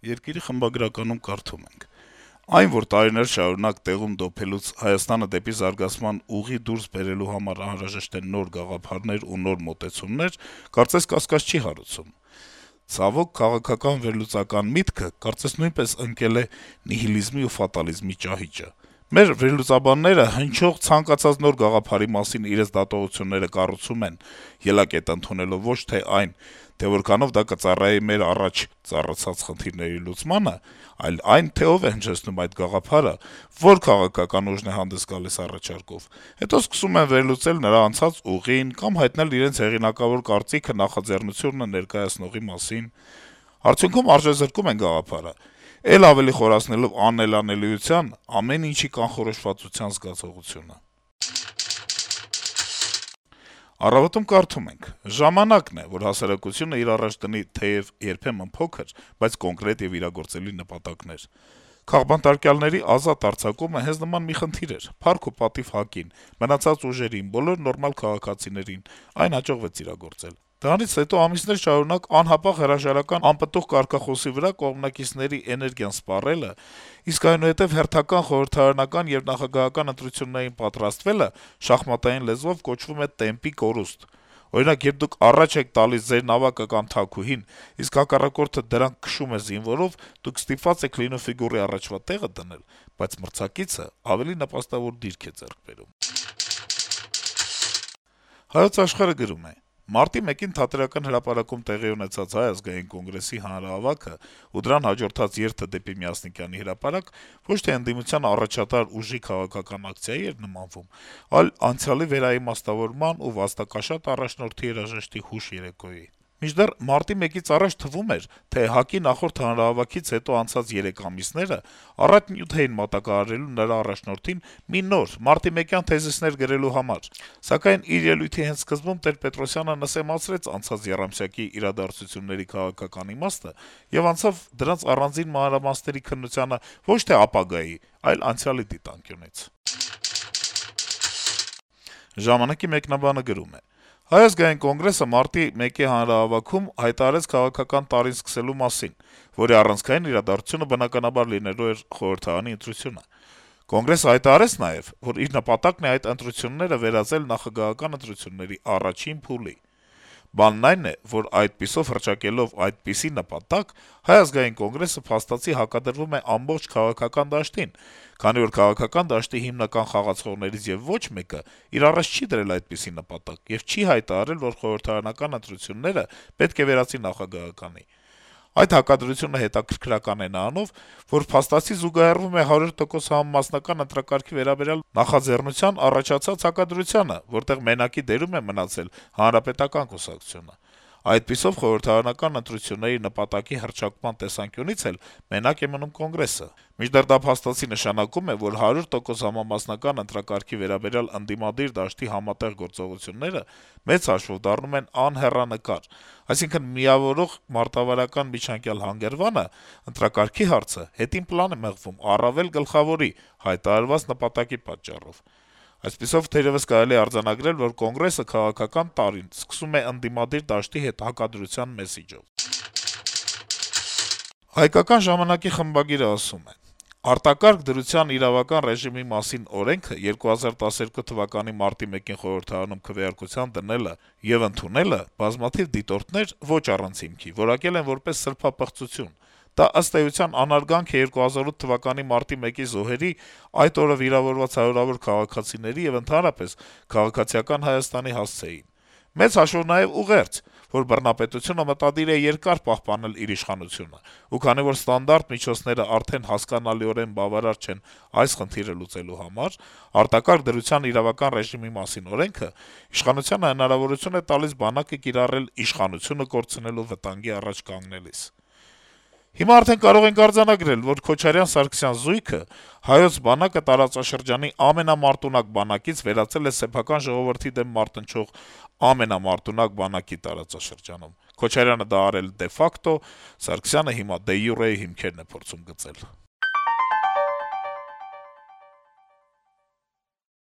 Երկիրի խմբագրականում կարդում ենք. - «Այն, որ տարիներ շարունակ տեղում դոփելուց Հայաստանը դեպի զարգացման ուղի դուրս բերելու համար անհրաժեշտ են նոր գաղափարներ ու նոր մոտեցումներ, կարծես կասկած չի հարուցում: Ցավոք, քաղաքական վերլուծական միտքը կարծես նույնպես ընկել է նիհիլիզմի ու ֆատալիզմի ճահիճը: Մեր վերլուծաբանները հնչող ցանկացած նոր գաղափարի մասին իրենց դատողությունները կառուցում են, ելակետ ընդունելով ոչ թե այն, թե որքանով դա կծառայի մեր առաջ ծառացած խնդիրների լուծմանը, այլ այն, թե ով է հնչեցնում այդ գաղափարը, որ քաղաքական ուժն է հանդես գալիս առաջարկով: Հետո սկսում են վերլուծել նրա անցած ուղին կամ հայտնել իրենց հեղինակավոր կարծիքը նախաձեռնությունը ներկայացնողի մասին: Արդյունքում արժեզրկում են գաղափարը, էլ ավելի խորացնելով անելանելիության, ամեն ինչի կանխորոշվածության զգացողությունը»: «Առավոտ»-ում կարդում ենք. - «Ժամանակն է, որ հասարակությունը իր առաջ դնի թեեւ երբեմն փոքր, բայց կոնկրետ եւ իրագործելի նպատակներ: Քաղբանտարկյալների ազատ արձակումը հենց նման մի խնդիր էր: Փառք ու պատիվ ՀԱԿ-ին, մնացած ուժերին, բոլոր նորմալ քաղաքացիներին: Այն հաջողվեց իրագործել: Դրանից հետո ամիսներ շարունակ անհապաղ հրաժարական անպտուղ կարգախոսի վրա կողմնակիցների էներգիան սպառելը, իսկ այնուհետեւ հերթական խորհրդարանական եւ նախագահական ընտրություններին պատրաստվելը շախմատային լեզվով կոչվում է «տեմպի կորուստ»: Օրինակ, երբ դուք առաջ եք տալիս ձեր նավակը կամ թաքուհին, իսկ հակառակորդը դրանք քշում է զինվորով, դուք ստիպված եք լինում ֆիգուրի առաջվա տեղը դնել, բայց մրցակիցը ավելի նպաստավոր դիրք է ձեռք բերում»: «Հայոց Աշխարհ»-ը գրում է. - «Մարտի 1-ին Թատերական հրապարակում տեղի ունեցած Հայ ազգային կոնգրեսի հանրահավաքը ու դրան հաջորդած երթը դեպի Միասնիկյանի հրապարակ ոչ թե ընդդիմության առաջատար ուժի քաղաքական ակցիայի էր նմանվում, այլ անցյալի վերաիմաստավորման ու վաստակաշատ առաջնորդի երաժշտի հուշ-երեկոյի: Մինչդեռ մարտի 1-ից առաջ թվում էր, թե ՀԱԿ-ի նախորդ հանրահավաքից հետո անցած 3 ամիսները առատ նյութ էին մատակարարելու նրա առաջնորդին մի նոր, մարտիմեկյան թեզիսներ գրելու համար: Սակայն իր ելույթի հենց սկզբում Տեր-Պետրոսյանը նսեմացրեց անցած եռամսյակի իրադարձությունների քաղաքական իմաստը եւ անցավ դրանց առանձին մանրամասների քննությանը ոչ թե ապագայի, այլ անցյալի դիտանկյունից»: «Ժամանակ»-ի մեկնաբանը գրում է. - «Հայ ազգային կոնգրեսը մարտի 1-ի հանրահավաքում հայտարարեց քաղաքական տարին սկսելու մասին, որի առանցքային իրադարձությունը բնականաբար լինելու էր խորհրդարանի ընտրությունը: Կոնգրեսը հայտարարեց նաեւ, որ իր նպատակն է այդ ընտրությունները վերածել նախագահական ընտրությունների առաջին փուլի: Բանն այն է, որ այդպիսով հռչակելով այդպիսի նպատակ, Հայ ազգային կոնգրեսը փաստացի հակադրվում է ամբողջ քաղաքական դաշտին, քանի որ քաղաքական դաշտի հիմնական խաղացողներից եւ ոչ մեկը իր առաջ չի դրել այդպիսի նպատակ եւ չի հայտարարել, որ խորհրդարանական ընտրությունները պետք է վերածի նախագահականի: Այդ հակադրությունը հետաքրքրական է նրանով, որ փաստացի զուգահեռվում է 100% համամասնական ընտրակարգի վերաբերյալ նախաձեռնության առաջացած հակադրությանը, որտեղ մենակի դերում է մնացել Հանրապետական կուսակցությունը: Այդպիսով խորհրդարանական ընտրությունների նպատակի հռչակման տեսանկյունից էլ մենակ է մնում Կոնգրեսը: Մինչդեռ դա փաստացի նշանակում է, որ 100% համամասնական ընտրակարգի վերաբերյալ ընդդիմադիր դաշտի համատեղ գործողությունները մեծ հաշվով դառնում են անհեռանկար: Այսինքն` միավորող մարտավարական միջանկյալ հանգրվանը, ընտրակարգի հարցը, հետին պլան է մղվում առավել գլխավորի` հայտարարված նպատակի պատճառով: Այսպիսով, թերեւս կարելի է արձանագրել, որ Կոնգրեսը քաղաքական տարին սկսում է ընդդիմադիր դաշտի հետ հակադրության մեսիջով»: «Հայկական ժամանակ»-ի խմբագիրը ասում է. - «Արտակարգ դրության իրավական ռեժիմի մասին օրենքը 2012 թվականի մարտի 1-ին խորհրդարանում քվեարկության դնելը եւ ընդունելը բազմաթիվ դիտորդներ, ոչ առանց հիմքի, որակել են որպես սրբապղծություն: Դա, ըստ էության, անարգանք է 2008 թվականի մարտի 1-ի զոհերի, այդ օրը վիրավորված հարյուրավոր քաղաքացիների եւ ընդհանրապես քաղաքացիական Հայաստանի հասցեին: Մեծ հաշվով նաեւ ուղերձ, որ բռնապետությունը մտադիր է երկար պահպանել իր իշխանությունը: Ու քանի որ ստանդարտ միջոցները արդեն հասկանալիորեն բավարար չեն այս խնդիրը լուծելու համար, արտակարգ դրության իրավական ռեժիմի մասին օրենքը իշխանությանը հնարավորություն է տալիս բանակը կիրառել իշխանությունը կորցնելու վտանգի առաջ կանգնելիս: Հիմա արդեն կարող ենք արձանագրել, որ Քոչարյան-Սարգսյան զույգը հայոց բանակը տարածաշրջանի ամենամարտունակ բանակից վերածել է սեփական ժողովրդի դեմ մարտնչող ամենամարտունակ բանակի տարածաշրջանում: Քոչարյանը դա արել դե ֆակտո, Սարգսյանը հիմա դե յուրեի հիմքերն է փորձում գծել»: